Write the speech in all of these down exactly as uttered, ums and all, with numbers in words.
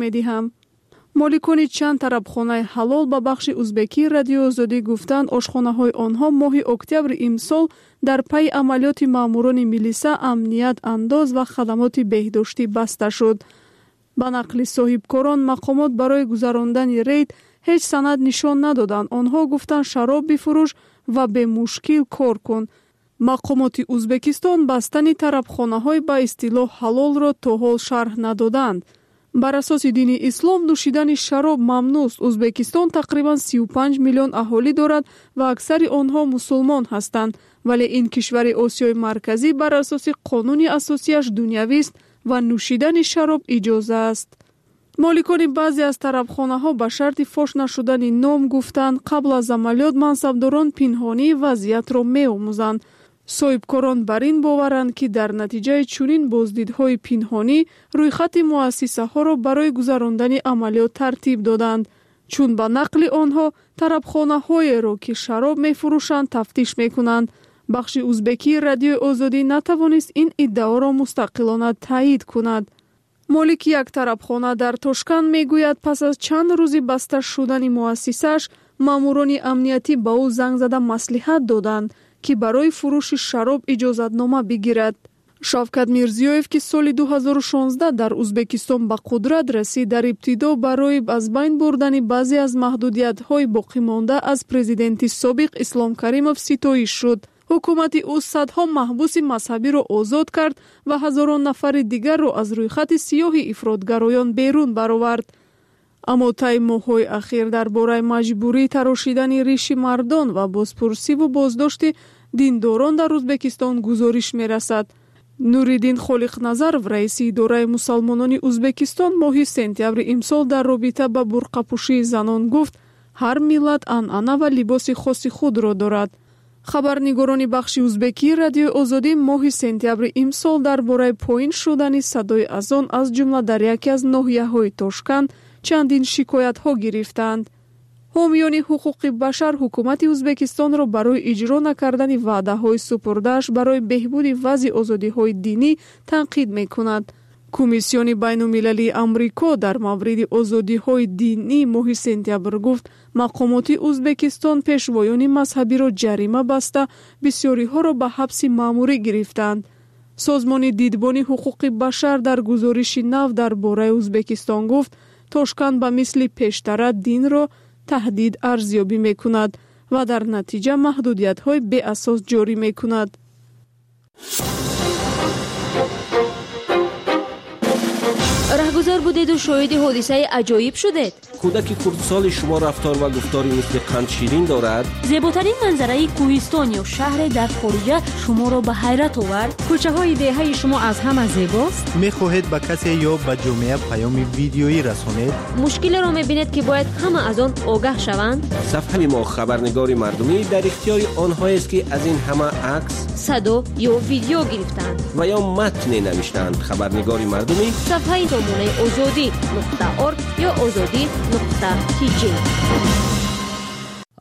медиҳам. Моликони чанд тарабхонаи ҳалол ба бахши узбекии Радиои Озодӣ гуфтанд, ошхонаҳои онҳо моҳи октябри имсол дар пайи амалиёти маъмурони милиса, амният, андоз ва хадамоти беҳдоштӣ баста шуд. Ба нақли соҳибкорон, мақомот барои гузарондани рейд ҳеҷ санад нишон надоданд. Онҳо гуфтанд, шароб бифурӯш ва бемушкил кор кун. Мақомоти Узбекистон бастани тарабхонаҳои ба истилоҳ ҳалолро то ҳол шарҳ надоданд. Бар асоси дини ислом нӯшидани шароб мамнӯъст. Узбекистон тақрибан сию панҷ миллион аҳолӣ дорад ва аксари онҳо мусулмон ҳастанд. Вале ин кишвари Осиёи Марказӣ бар асоси қонуни асосияш дунявист ва нӯшидани шароб иҷоза аст. Моликони баъзе аз тарабхонаҳо ба шарти фош нашудани ном гуфтанд, қабл аз амалиёт мансабдорон пинҳонии вазъиятро меомӯзанд. Соҳибкорон бар ин боваранд, ки дар натиҷаи чунин боздидҳои пинҳонӣ рӯйхати муассисаҳоро барои гузарондани амалиёт тартиб доданд. Чун ба нақли онҳо тарабхонаҳоеро, ки шароб мефурӯшанд, тафтиш мекунанд. Бахши узбекии Радиои Озодӣ натавонист ин иддаоро мустақилона таъйид кунад. Молики як тарабхона дар Тошканд мегӯяд, пас аз чанд рӯзи баста шудани муассисааш маъмурони амниятӣ ба ӯ занг зада маслиҳат доданд, ки барои фурӯши шароб иҷозатнома бигирад. Шавкат Мирзиёев, ки соли ду ҳазору шонздаҳ дар Узбекистон ба қудрат расид, дар ибтидо барои аз байн бурдани баъзе аз маҳдудиятҳои боқимонда аз президенти собиқ Ислом Каримов ситоиш шуд. Ҳукумати ӯ садҳо маҳбуси мазҳабиро озод кард ва ҳазорон нафари дигарро аз рӯйхати сиёҳи ифротгароён берун баровард. Аммо таи моҳҳои ахир дар бораи маҷбурӣ тарошидани риши мардон ва бозпурсиву боздошти диндорон дар Узбекистон гузориш мерасад. Нуриддин Холиқназаров, раиси идораи мусалмонони Узбекистон, моҳи сентябри имсол дар робита ба бурқапӯшии занон гуфт, ҳар миллат анъана ва либоси хоси худро дорад. Хабарнигорони бахши узбекии Радиои Озодӣ моҳи сентябри имсол дар бораи поин шудани садои азон аз ҷумла дар яке аз ноҳияҳои Тошканд чандин шикоятҳо гирифтанд. Ҳомиёни ҳуқуқи башар ҳукумати Узбекистонро барои иҷро накардани ваъдаҳои супурдааш барои беҳбуди вазъи озодиҳои динӣ танқид мекунад. Комиссиони байнулмилалии Амрико дар мавриди озодиҳои динӣ моҳи сентябр гуфт, мақомоти Узбекистон пешвоёни мазҳабиро ҷарима баста, бисёриҳоро ба ҳабси маъмурӣ гирифтанд. Созмони дидбони ҳуқуқи башар дар гузориши нав дар бораи Узбекистон гуфт, Тошканд ба мисли пештара динро таҳдид арзёбӣ мекунад ва дар натиҷа маҳдудиятҳои беасос ҷорӣ мекунад. Раҳгузар будеду шоҳиди ҳодисаи аҷоиб шудед? Кӯдаки хурдсоли шумо рафтор ва гуфтори мисли қандширин дорад? Зеботарин манзараи кӯҳистон ё шаҳре дар хориҷа шуморо ба ҳайрат овард? Кӯчаҳои деҳаи шумо аз ҳама зебост? Мехоҳед ба касе ё ба ҷомеа паёми видеоӣ расонед? Мушкилеро мебинед, ки бояд ҳама аз он огаҳ шаванд? Сафҳаи мо хабарнигори мардумӣ дар ихтиёри онҳоест, ки аз ин ҳама акс, садо ё видео гирифтаанд ва ё матне навиштаанд. Хабарнигори мардумӣ сафҳаи сомонаи озодӣ нуқта орг ё озодӣ нуқта тиҷи.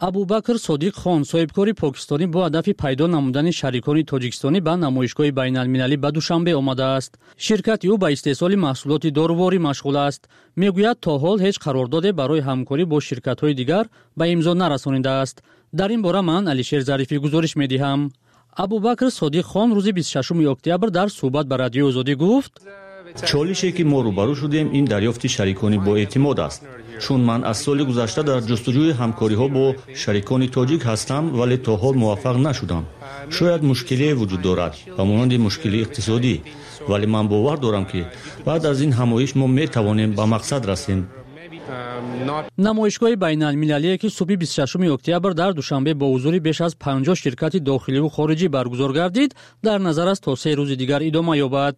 Абубакр Содиқ Хон, соҳибкори покистонӣ, бо ҳадафи пайдо намудани шарикони тоҷикистонӣ ба намоишгоҳи байналмилалӣ ба Душанбе омадааст. Ширкати ӯ ба истеҳсоли маҳсулоти доруворӣ машғул аст. Мегӯяд, то ҳол ҳеҷ қарордоде барои ҳамкорӣ бо ширкатҳои дигар ба имзо нарасонидааст. Дар ин бора ман Алишер Зарифӣ гузориш медиҳам. Абубакр Содиқ Хон рӯзи бисту шашуми октябр дар суҳбат ба Радиои Озодӣ гуфт: чолише ки мо рӯбарӯ шудем, ин дарёфти шарикони боэътимод аст. Чун ман аз соли гузашта дар ҷустуҷӯи ҳамкориҳо бо шарикони тоҷик ҳастам, вале то ҳол муваффақ нашудам. Шояд мушкилие вуҷуд дорад, ба монанди мушкили иқтисодӣ, вале ман бовар дорам, ки баъд аз ин ҳамоиш мо метавонем ба мақсад расем. Намоишгоҳи байналмилалие, ки субҳи бисту шашуми октябр дар Душанбе бо ҳузури беш аз панҷоҳ ширкати дохиливу хориҷӣ баргузор гардид, дар назар аст то се рӯзи дигар идома ёбад.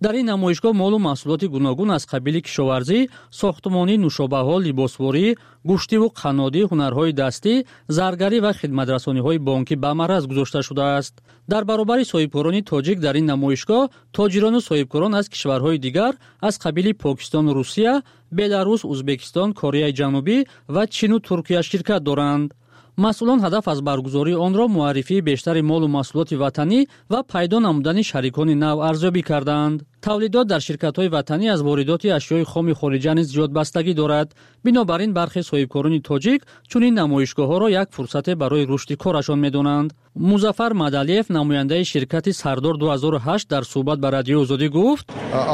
Дар ин намоишгоҳ молу маҳсулоти гуногун аз қабили кишоварзӣ, сохтмонӣ, нӯшобаҳо, либосворӣ, гӯштиву қаннодӣ, ҳунарҳои дастӣ, заргарӣ ва хидматрасониҳои бонкӣ ба мараз гузошта шудааст. Дар баробари соҳибкорони тоҷик дар ин намоишгоҳ тоҷирону соҳибкорон аз кишварҳои дигар аз қабили Покистону Русия, Беларус, Узбекистон, Кореяи Ҷанубӣ ва Чину Туркия ширкат доранд. Масъулон ҳадаф аз баргузории онро муаррифии бештари молу маҳсулоти ватанӣ ва пайдо намудани шарикони нав арзёбӣ кардаанд. Тавлидот дар ширкатҳои ватанӣ аз воридоти ашёи хоми хориҷа низ зиёд бастагӣ дорад. Бинобар ин бархе соҳибкорони тоҷик чунин намоишгоҳҳоро як фурсате барои рушди корашон медонанд. Музаффар Мадалиев, намояндаи ширкати Сардор ду ҳазору ҳашт, дар суҳбат ба Радиои Озодӣ гуфт: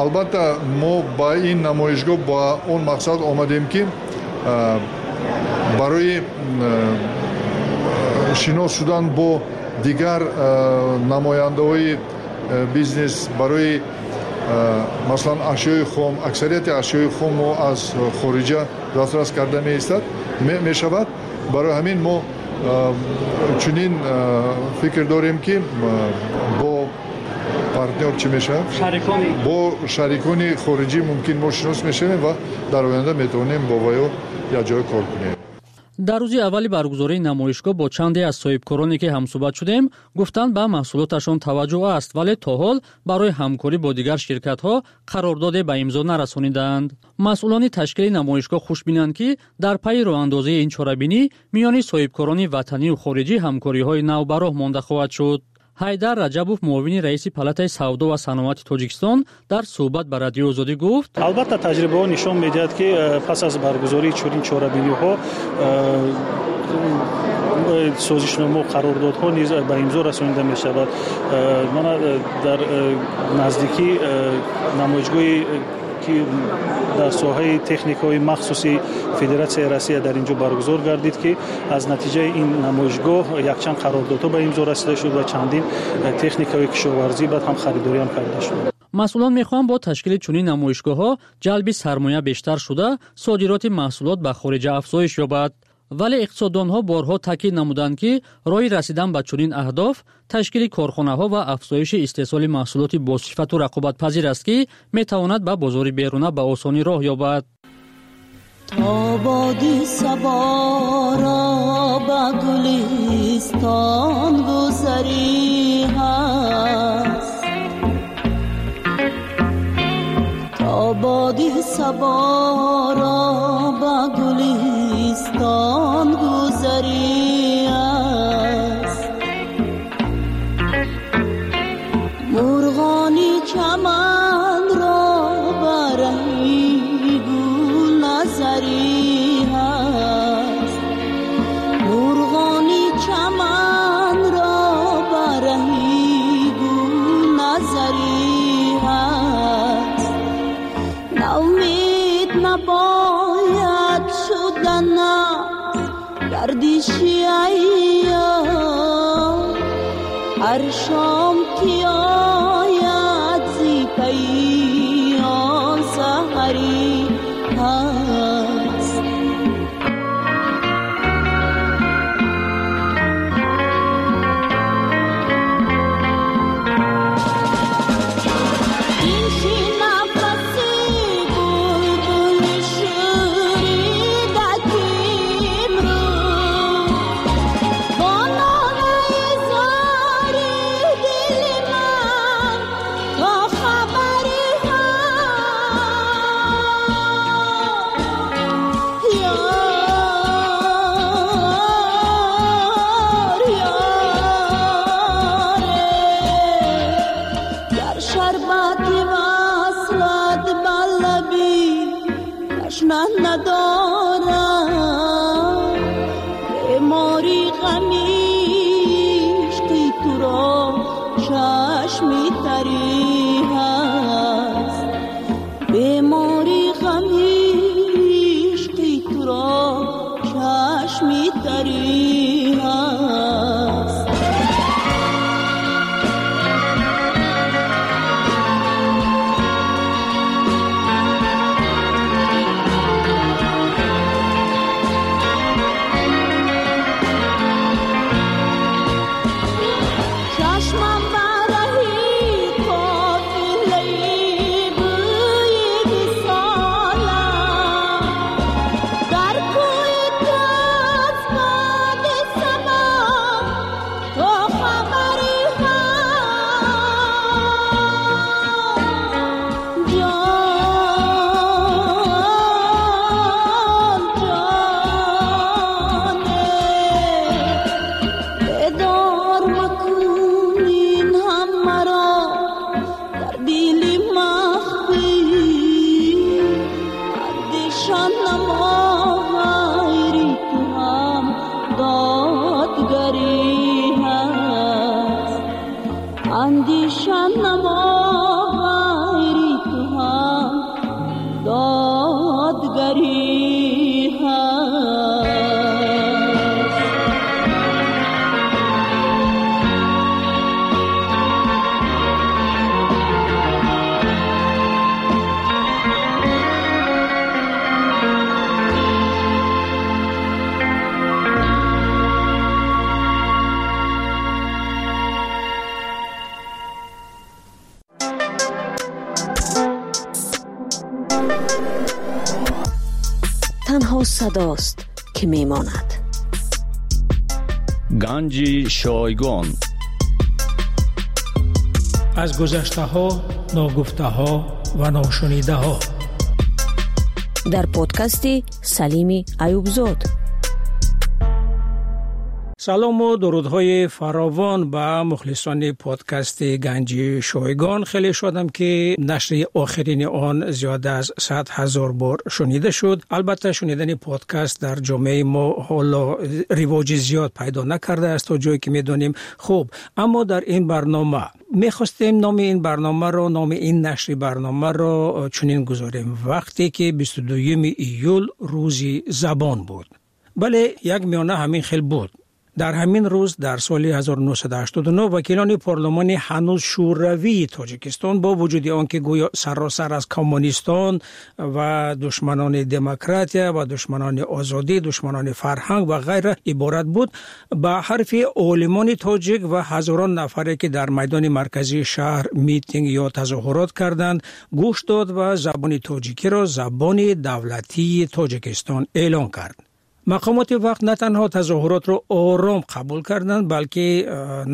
албатта мо ба ин намоишгоҳ ба он мақсад омадем, ки барои шинос шудан бо дигар намояндаҳои бизнес, барои масалан ашёи хом, аксарияти ашёи хом мо аз хориҷа дастрас карда меистад мешавад. Барои ҳамин мо чунин фикр дорем, ки бо партнёр чӣ мешавад, бо шарикони хориҷӣ мумкин мо шинос мешавем ва дар оянда метавонем бо ваё якҷоя кор кунем. Дар рӯзи аввали баргузории намоишгоҳ бо чанде аз соҳибкороне ки ҳамсӯҳбат шудем, гуфтанд ба маҳсулоташон таваҷҷӯҳ аст, вале то ҳол барои ҳамкорӣ бо дигар ширкатҳо қарордоде ба имзо нарасонидаанд. Масъулони ташкили намоишгоҳ хушбинанд, ки дар пайи роҳандозии ин чорабинӣ миёни соҳибкорони ватанию хориҷӣ ҳамкориҳои нав ба роҳ монда хоҳад шуд. Ҳайдар Раҷабов, муовини раиси Палатаи савдо ва саноати Тоҷикистон, дар суҳбат ба Радиои Озодӣ гуфт: албатта таҷрибаҳо нишон медиҳад, ки пас аз баргузории чунин чорабиниҳо созишнома қарордодҳо низ ба имзо расонида мешавад. Мана дар наздикӣ намоишгоҳи ки дар соҳаи техникаҳои махсуси Федератсияи Россия дар инҷо баргузор гардид, ки аз натиҷаи ин намоишгоҳ якчанд қарордодҳо ба имзо расида шуд ва чандин техникаҳои кишоварзӣ баъд ҳам харидориам карда шуд. Масъулон мехоҳанд бо ташкили чунин намоишгоҳҳо ҷалби сармоя бештар шуда, содироти маҳсулот ба хориҷа афзоиш ёбад. Вале иқтисоддонҳо борҳо таъкид намуданд, ки роҳи расидан ба чунин аҳдоф ташкили корхонаҳо ва афзоиши истеҳсоли маҳсулоти босифату рақобатпазир аст, ки метавонад ба бозори беруна ба осонӣ роҳ ёбад. То боди саборо ба гулистон гузарӣ ҳаст, то боди саборо ба гулистон гузарӣ аст. Мурғони чаманро ба раҳи гул назарӣ ҳаст, мурғони чаманро ба раҳи гул назарӣ ҳаст. Наумид набояд шудан аз гардиши айём, ҳар шом ки ояд зи пайи он саҳарӣ ҳаст. Андеша намо ғайри ту ҳам додгарӣ ҳаст. Андеша намо ғайри ту ҳам додгарӣ ҳаст. Танҳо садост, ки мемонад. Ганҷи шойгон. Аз гузаштаҳо, ногуфтаҳо ва ношунидаҳо. Дар подкасти Салими Аюбзод. Салому дурудҳои фаровон ба мухлисони подкасти Ганҷи шойгон. Хеле шодам, ки нашри охирини он зиёда аз сад ҳазор бор шунида шуд. Албатта, шунидани подкаст дар ҷомеаи мо ҳоло ривоҷи зиёд пайдо накардааст, то ҷое ки медонем. Хуб, аммо дар ин барнома мехостем номи ин барномаро, номи ин нашри барномаро чунин гузорем: вақте ки бисту дуюми июл рӯзи забон буд. Бале, як миёна ҳамин хел буд. Дар ҳамин рӯз дар соли ҳазору нӯҳсаду ҳаштоду нӯҳ вакилони парлумони ҳанӯз шӯравии Тоҷикистон бо вуҷуди он ки гӯё саросар аз коммунистон ва душманони демократия ва душманони озодӣ, душманони фарҳанг ва ғайра иборат буд, ба ҳарфи олимони тоҷик ва ҳазорон нафаре ки дар майдони марказии шаҳр митинг ё тазоҳурот карданд гӯш дод ва забони тоҷикиро забони давлатии Тоҷикистон эълон кард. Мақомоти вақт на танҳо тазоҳуротро ором қабул карданд, балки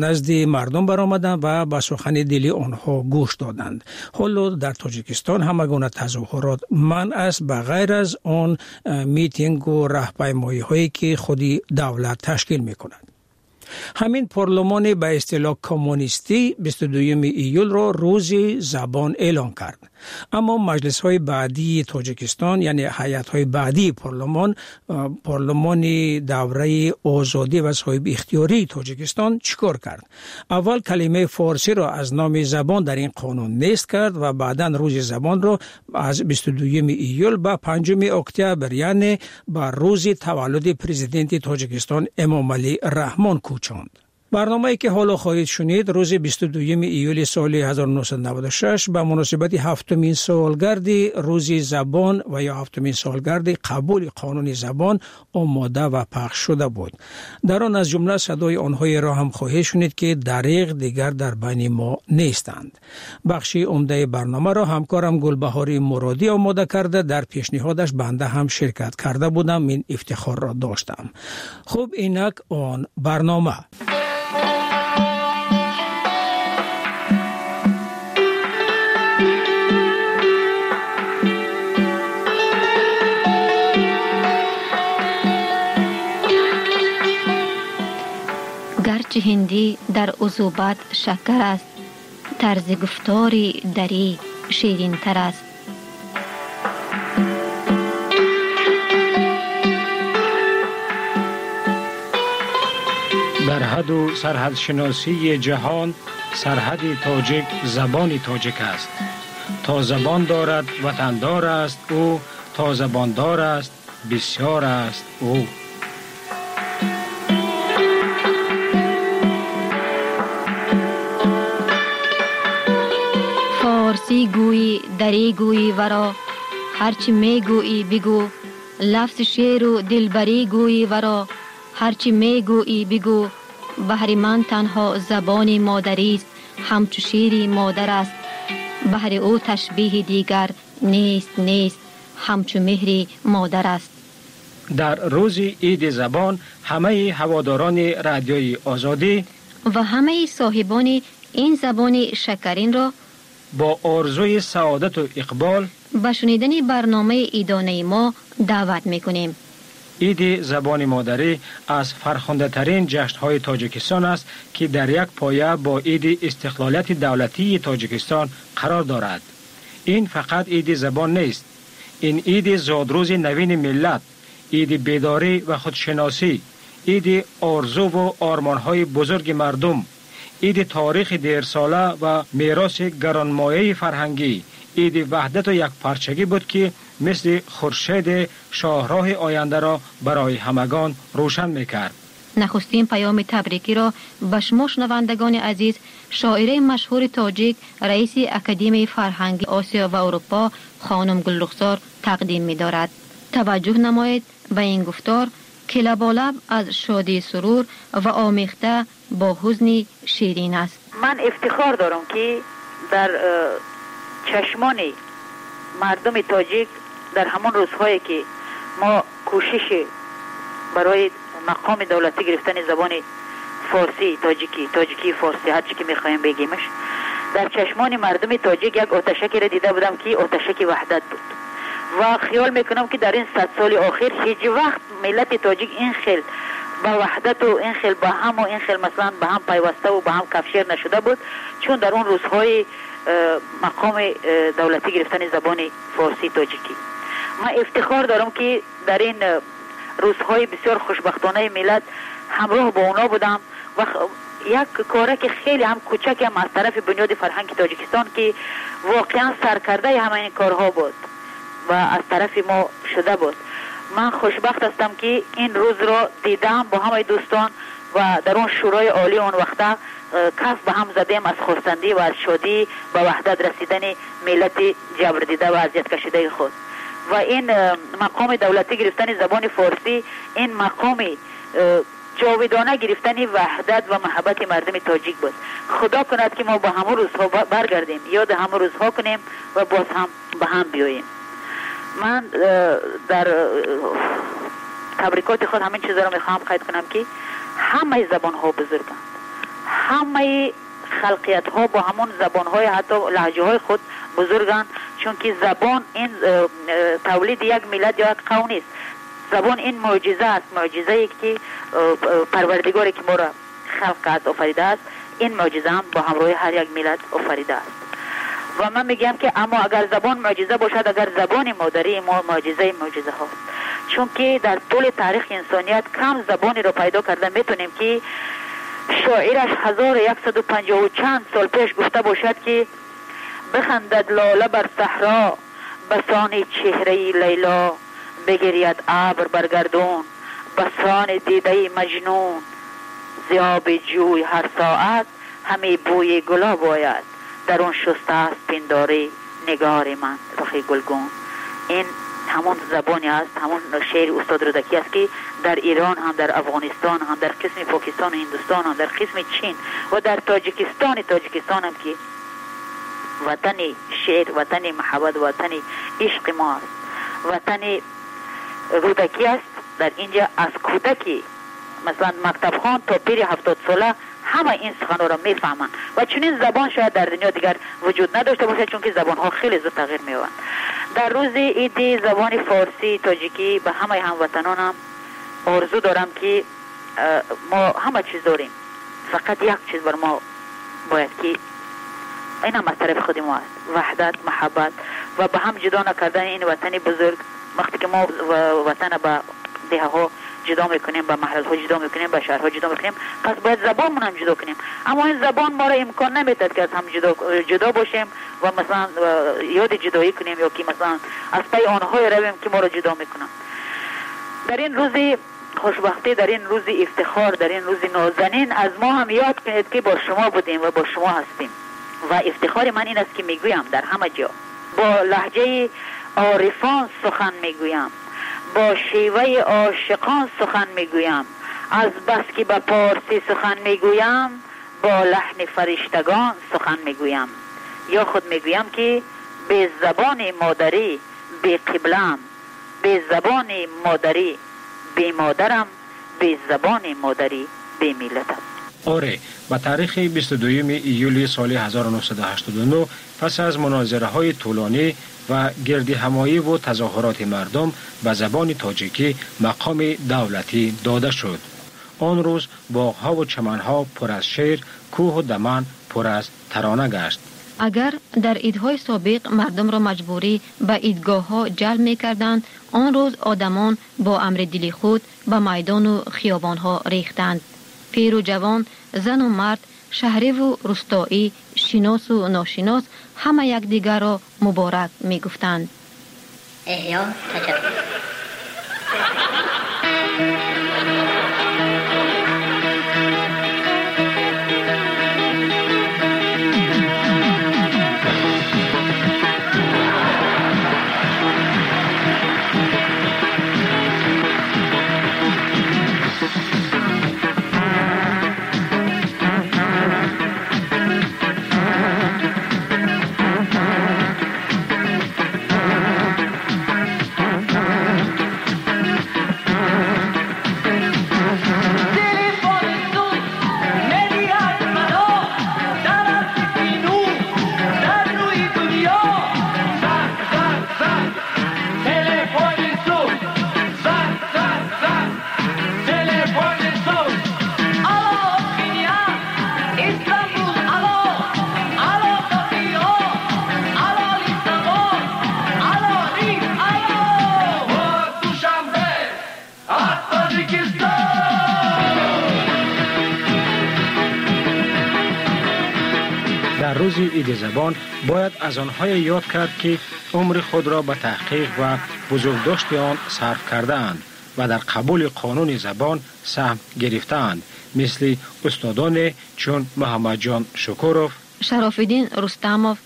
назди мардум баромаданд ва ба сухани дили онҳо гӯш доданд. Ҳоло дар Тоҷикистон ҳама гуна тазоҳурот манъ аст, ба ғайр аз он митингу раҳпаймоиҳое ки худи давлат ташкил мекунад. Ҳамин парлумони ба истилоҳ коммунистӣ бисту дуюми июлро рӯзи забон эълон кард. Аммо маҷлисҳои баъдии Тоҷикистон, яъне ҳайатҳои баъдии парлумон, парлумони давраи озодӣ ва соҳибихтиёрии Тоҷикистон чӣ кор кард? Аввал калимаи форсиро аз номи забон дар ин қонун нест кард ва баъдан рӯзи забонро аз бисту дуюми июл ба панҷуми октябр, яъне ба рӯзи таваллуди президенти Тоҷикистон Эмомалӣ Раҳмон кӯчонд. Барномае ки ҳоло хоҳед шунид, рӯзи бисту дуюми июли соли ҳазору нӯҳсаду наваду шаш ба муносибати ҳафтумин солгарди рӯзи забон ва ё ҳафтумин солгарди қабули қонуни забон омода ва пахш шуда буд. Дар он аз ҷумла садои онҳоеро ҳам хоҳед шунид, ки дариғ дигар дар байни мо нестанд. Бахши умдаи барномаро ҳамкорам Гулбаҳори Муродӣ омода карда, дар пешниҳодаш банда ҳам ширкат карда будам, ин ифтихорро доштам. Хуб, инак он барнома. Гарчи ҳиндӣ дар узубат шакар аст, тарзи гуфтори дарӣ ширинтар аст. Дар ҳаду сарҳадшиносии ҷаҳон сарҳади тоҷик забони тоҷик аст. То забон дорад ватандор аст ӯ, то забондор аст бисёр аст ӯ. Форсӣ гӯйӣ, дарӣ гӯйӣ варо, ҳарчи мегӯйӣ бигӯ. Лафзи шеру дилбарӣ гӯйӣ варо, ҳарчи мегӯйӣ бигӯ. Баҳри ман танҳо забони модарист, ҳамчу шири модар аст. Баҳри ӯ ташбиҳи дигар нест, нест, ҳамчу меҳри модар аст. Дар рӯзи иди забон ҳамаи ҳаводорони радиои озодӣ ва ҳамаи соҳибони ин забони шакаринро бо орзуи саодату иқбол ба шунидани барномаи идонаи мо даъват мекунем. Иди забони модарӣ аз фархундатарин ҷашнҳои Тоҷикистон аст, ки дар як поя бо иди истиқлолияти давлатии Тоҷикистон қарор дорад. Ин фақат иди забон нест, Ин иди зодрӯзи навини миллат, иди бедорӣ ва худшиносӣ, иди орзуву ормонҳои бузурги мардум, иди таърихи дерсола ва мероси гаронмояи фарҳангӣ, иди ваҳдату якпарчагӣ буд, ки мисли хуршеди шоҳроҳи ояндаро барои ҳамагон рӯшан мекард. Нахустин паёми табрикиро ба шумо, шунавандагони азиз, шоираи машҳури тоҷик, раиси Академияи фарҳанги Осиё ва Аврупо хонум Гулрухсор тақдим медорад. Таваҷҷӯҳ намоед ба ин гуфтор, ки лаболаб аз шодии сурур ва омехта бо ҳузни ширин аст. Ман ифтихор дорам, ки дар чашмони мардуми тоҷик дар ҳамон рӯзҳое, ки мо кӯшиши барои мақоми давлатӣ гирифтани забони форсӣ, тоҷикӣ, тоҷикии форсӣ, ҳарчи ки мехоҳем бегимаш, дар чашмони мардуми тоҷик як оташакеро дида будам, ки оташаки ваҳдат буд. Ва хиёл мекунам, ки дар ин сад соли охир ҳеҷ вақт миллати тоҷик ин хел ба ваҳдату ин хел ба ҳаму ин хел масалан ба ҳам пайваставу ба ҳам кафшер нашуда буд, чун дар он рӯзҳои мақоми давлатӣ гирифтани забони форсии тоҷикӣ. Ман ифтихор дорам, ки дар ин рӯзҳои бисёр хушбахтонаи миллат ҳамроҳ бо оно будам ва як коре ки хеле ҳам кӯчак ҳам аз тарафи Бунёди фарҳанги Тоҷикистон, ки воқеан саркардаи ҳама ин корҳо буд ва аз тарафи мо шуда буд. Ман хушбахт ҳастам, ки ин рӯзро дидам бо ҳамаи дӯстон ва дар он шӯрои олӣ он вақта каф ба ҳам задем аз хурсандӣ ва аз шодӣ ба ваҳдат расидани миллати ҷабрдида ва азияткашидаи худ. Ва ин мақоми давлатӣ гирифтани забони форсӣ, ин мақоми ҷовидона гирифтани ваҳдат ва муҳаббати мардуми тоҷик буд. Худо кунад, ки мо ба ҳамон рӯзҳо баргардем, ёд ҳамон рӯзҳо кунем ва боз ҳам ба ҳам биёем. Ман дар табрикоти худ ҳамин чизро мехоҳам қайд кунам, ки ҳамаи забонҳо бузурганд, ҳамаи халқиятҳо бо ҳамон забонҳои ҳатто лаҳҷаҳои худ бузурганд, чунки забон ин тавлиди як миллат ё як қавм нест. Забон ин мӯъҷиза аст, мӯъҷизае ки Парвардигоре ки моро халқ кард офаридааст, ин мӯъҷиза ҳам бо ҳамроҳи ҳар як миллат офаридааст. Ва ман мегӯям, ки аммо агар забон мӯъҷиза бошад, агар забони модарии мо мӯъҷизаи мӯъҷизаҳост, чунки дар тӯли таърихи инсоният кам забонеро пайдо карда метавонем, ки шоираш ҳазору яксаду панҷоҳу чанд сол пеш гуфта бошад, ки бихандад лола бар саҳро басони чеҳраи Лайло, бигиряд абр бар гардун басони дидаи Маҷнун, зиёби ҷӯй ҳар соат ҳаме бӯи гулоб ояд, дар он шуста аст пиндорӣ нигори ман рухи гулгун. Ин ҳамон забоне аст, ҳамон шеъри устод Рӯдакӣ аст, ки дар Ирон ҳам, дар Афғонистон ҳам, дар қисми Покистон ва Ҳиндустон ҳам, дар қисми Чин ва дар Тоҷикистони Тоҷикистон ҳам, ки ватани шеър, ватани муҳаббат, ватани ишқи мо аст, ватани Рӯдакӣ аст. Дар инҷа аз кӯдаки масалан мактабхон то пири ҳафтодсола ҳама ин суханҳоро мефаҳманд ва чунин забон шояд дар дунё дигар вуҷуд надошта бошад, чунки забонҳо хеле зуд тағйир меёбанд. Дар рӯзи иди забони форсии тоҷикӣ ба ҳамаи ҳамватанонам орзу дорам, ки мо ҳама чиз дорем, фақат як чиз бар мо бояд, ки ин ҳам аз тарафи худи мо аст: ваҳдат, муҳаббат ва ба ҳам ҷудо накардани ин ватани бузург. Вақте ки мо ватана ба деҳаҳо ҷудо мекунем, ба маҳаллаҳо ҷудо мекунем, ба шаҳрҳо ҷудо мекунем, пас бояд забонмон ҳам ҷудо кунем. Аммо ин забон моро имкон намедиҳад, ки аз ҳам ҷудо, ҷудо бошем ва масалан ёди ҷудоӣ кунем ё ки масалан аз пайи онҳое равем, ки моро ҷудо мекунанд. Дар ин рӯзи хушбахтӣ, дар ин рӯзи ифтихор, дар ин рӯзи нозанин аз мо ҳам ёд кунед, ки бо шумо будем ва бо шумо ҳастем. Ва ифтихори ман ин аст, ки мегӯям дар ҳама ҷо бо лаҳҷаи орифон сухан мегӯям, бо шеваи ошиқон сухан мегӯям, аз бас ки ба порсӣ сухан мегӯям, бо лаҳни фариштагон сухан мегӯям. Ё худ мегӯям, ки бе забони модарӣ бе қиблам, бе забони модарӣ бе модарам, бе забони модарӣ бе миллатам. Оре, ба таърихи бисту дуюми июли соли ҳазору нӯҳсаду ҳаштоду нӯҳ пас аз мунозираҳои тӯлонӣ ва гирдиҳамоиву тазоҳуроти мардум ба забони тоҷикӣ мақоми давлатӣ дода шуд. Он рӯз боғҳову чаманҳо пур аз шеър, кӯҳу даман пур аз тарона гашт. Агар дар идҳои собиқ мардумро маҷбурӣ ба идгоҳҳо ҷалб мекарданд, он рӯз одамон бо амри дили худ ба майдону хиёбонҳо рехтанд. Пиру ҷавон, зану мард, шаҳриву рустоӣ, шиносу ношинос ҳама якдигарро муборак мегуфтанд. Эҳё таҷаддуд. дар рӯзи иди забон бояд аз онҳое ёд кард, ки умри худро ба таҳқиқ ва бузургдошти он сарф кардаанд ва дар қабули қонуни забон саҳм гирифтаанд, мисли устодоне чун Муҳаммадҷон Шукуров, Шарофиддин Рустамов,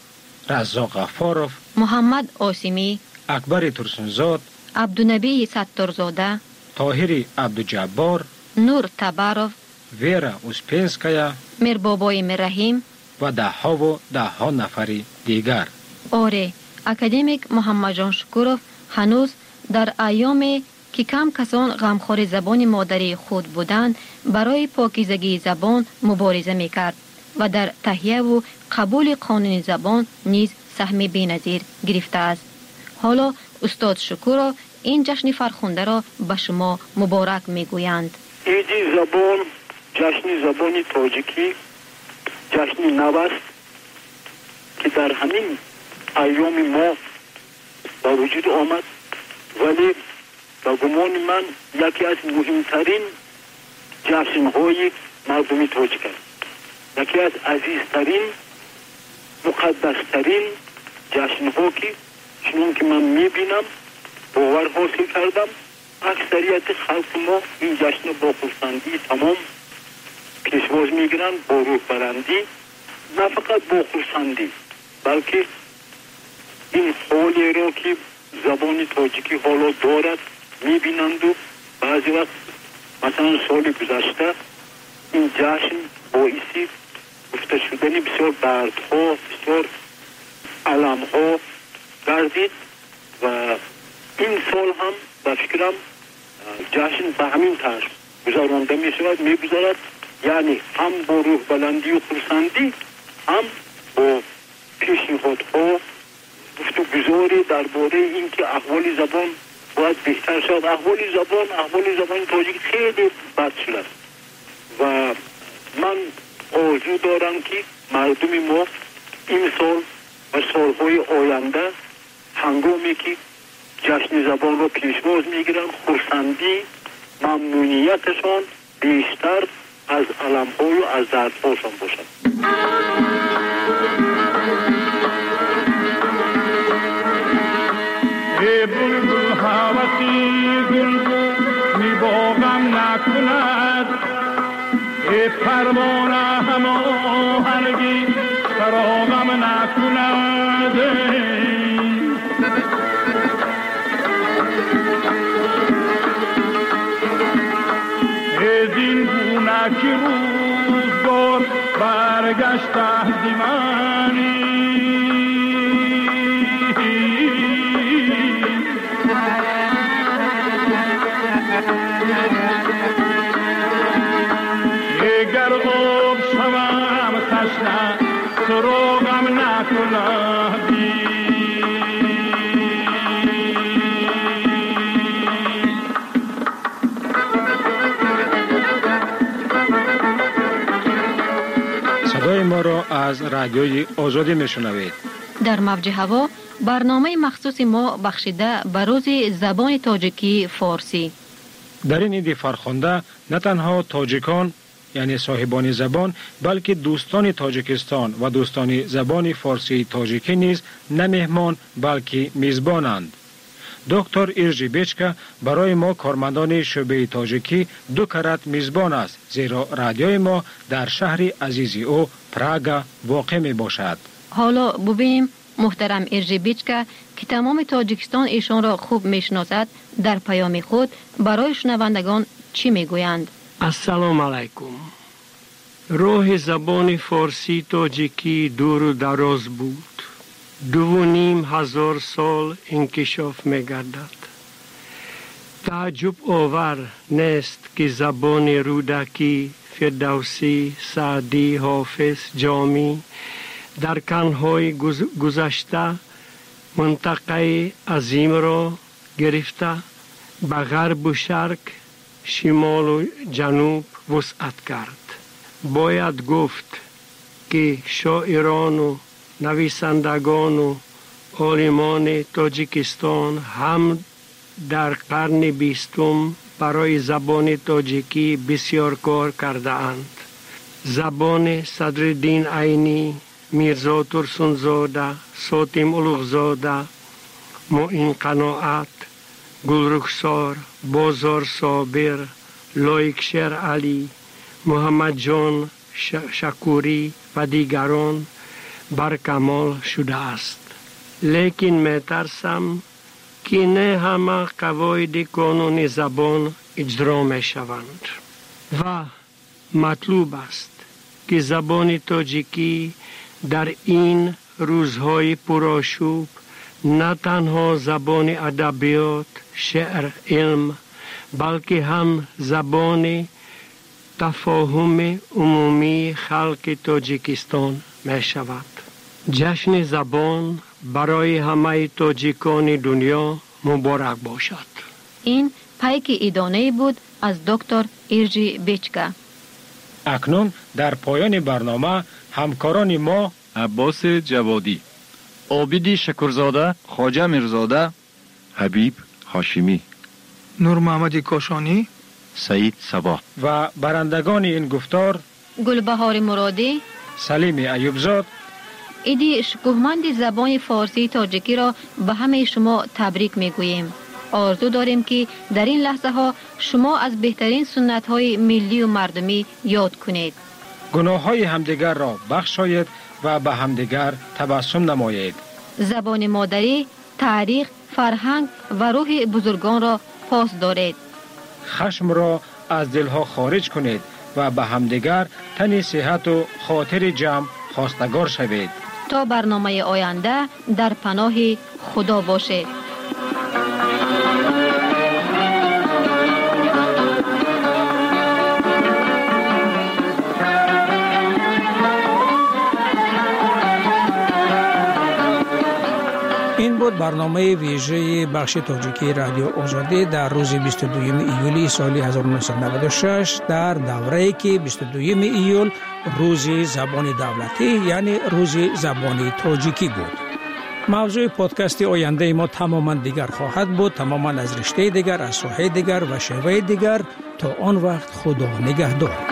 Раззоқ Ғаффоров, Муҳаммад Осимӣ, Акбари Турсунзод, Абдунабии Сатторзода, Тоҳири Абдуҷаббор, Нур Табаров, Вера Успенская, Мирбобои Мирраҳим ва даҳҳову даҳҳо нафари дигар. Оре, академик Муҳаммадҷон Шукуров ҳанӯз дар айёме ки кам касон ғамхори забони модарии худ буданд, барои покизагии забон мубориза мекард ва дар таҳияву қабули қонуни забон низ саҳми беназир гирифтааст. Ҳоло устод Шукуров ин ҷашни фархундаро ба шумо муборак мегӯянд. Иди забон, ҷашни забони тоҷикӣ ҷашни нав аст, ки дар ҳамин айёми мо ба вуҷуд омад, вале ба гумони ман яке аз муҳимтарин ҷашнҳои мардуми тоҷик аст, яке аз азизтарин, муқаддастарин ҷашнҳо, ки чунон ки ман мебинам, бовар ҳосил кардам, аксарияти халқи мо ин ҷашнро бо хурсандии тамом пешвоз мегиранд, бо рӯҳбаландӣ, на фақат бо хурсандӣ, балки ин ҳолеро ки забони тоҷикӣ ҳоло дорад мебинанду баъзе вақт, масалан соли гузашта, ин ҷашн боиси гуфта шудани бисёр дардҳо, бисёр аламҳо гардид ва ин сол ҳам ба фикрам ҷашн ба ҳамин тарз гузаронда мешавад, мегузарад, яъне ҳам бо рӯҳбаландию хурсандӣ, ҳам бо пешниҳодҳо, гуфтугузорӣ дар бораи ин ки аҳволи забон бояд беҳтар шавад. Аҳволи забон, аҳволи забони тоҷик хеле бад шудааст ва ман орзу дорам, ки мардуми мо имсол ва солҳои оянда ҳангоме ки ҷашни забонро пешвоз мегиранд, хурсандӣ, мамнунияташон бештар аз аламҳою аз дардҳошон бошад. Эй булбул ҳаваси гулгуни боғам накунад, эй парвона ҳамоҳанги чароғам накунад. Зин гуна ки рӯзгор баргашта зи мани, гар об шавам ташна суроғам накунад. Садои моро аз Радиои Озодӣ мешунавед. Дар мавҷи ҳаво барномаи махсуси мо бахшида ба рӯзи забони тоҷикии форсӣ. Дар ин иди фархунда на танҳо тоҷикон, яъне соҳибони забон, балки дӯстони Тоҷикистон ва дӯстони забони форсии тоҷикӣ низ на меҳмон, балки мизбонанд. Доктор Иржи Бечка барои мо кормандони шӯъбаи тоҷикӣ ду карат мизбон аст, зеро радиои мо дар шаҳри азизи ӯ Прага воқеъ мебошад. Ҳоло бубинем муҳтарам Иржи Бечка, ки тамоми Тоҷикистон эшонро хуб мешиносад, дар паёми худ барои шунавандагон чӣ мегӯянд? Ассалому алайкум. Роҳи забони форсии тоҷикӣ дуру дароз буд. Дуву ним ҳазор сол инкишоф мегардад. Тааҷҷубовар нест, ки забони Рӯдакӣ, Фирдавсӣ, Саъдӣ, Ҳофиз, Ҷомӣ дар қарнҳои гузашта минтақаи азимро гирифта ба ғарбу шарқ, шимолу ҷануб вусъат кард. Бояд гуфт, ки шоирону нависандагону олимони Тоҷикистон ҳам дар қарни бистум барои забони тоҷикӣ бисёр кор кардаанд. Забони Садриддин Айнӣ, Мирзо Турсунзода, Сотим Улуғзода, Муин Қаноат, Гулрухсор, Бозор Собир, Лоиқ Шералӣ, Муҳаммадҷон Шакурӣ ва дигарон баркамол шудааст. Лекин метарсам, ки не ҳама қавоиди қонуни забон иҷро мешаванд ва матлуб аст, ки забони тоҷикӣ дар ин рӯзҳои пурошӯб на танҳо забони адабиёт, шеър, илм, балки ҳам забони тафоҳуми умумии халқи Тоҷикистон мешавад. Ҷашни забон барои ҳамаи тоҷикони дунё муборак бошад. Ин пайки идонае буд аз доктор Иржи Бечка. Акнун дар поёни барнома ҳамкорони мо Аббоси Ҷаводӣ, Обиди Шакурзода, Хоҷа Мирзода, Ҳабиб Ҳошимӣ, Нурмуҳаммади Кошонӣ, Саид Сабоҳ ва барандагони ин гуфтор Гулбаҳори Муродӣ, Салими Аюбзод. Иди шукӯҳманди забони форсии тоҷикиро ба ҳамаи шумо табрик мегӯем. Орзу дорем, ки дар ин лаҳзаҳо шумо аз беҳтарин суннатҳои миллию мардумӣ ёд кунед. Гуноҳҳои ҳамдигарро бахшоед ва ба ҳамдигар табассум намоед. Забони модарӣ, таърих, фарҳанг ва рӯҳи бузургонро пос доред. Хашмро аз дилҳо хориҷ кунед ва ба ҳамдигар тани сиҳату хотири ҷамъ хостагор шавед. То барномаи оянда дар паноҳи Худо бошед. Ин буд барномаи вижаи бахши тоҷикии Радио Озодӣ дар рӯзи бисту дуюми июли соли ҳазору нӯҳсаду наваду шаш, дар даврае ки бисту дуюми июл рӯзи забони давлатӣ, яъне рӯзи забони тоҷикӣ буд. Мавзӯи подкасти ояндаи мо тамоман дигар хоҳад буд, тамоман аз риштаи дигар, аз соҳаи дигар ва шеваи дигар. То он вақт Худо нигаҳдор.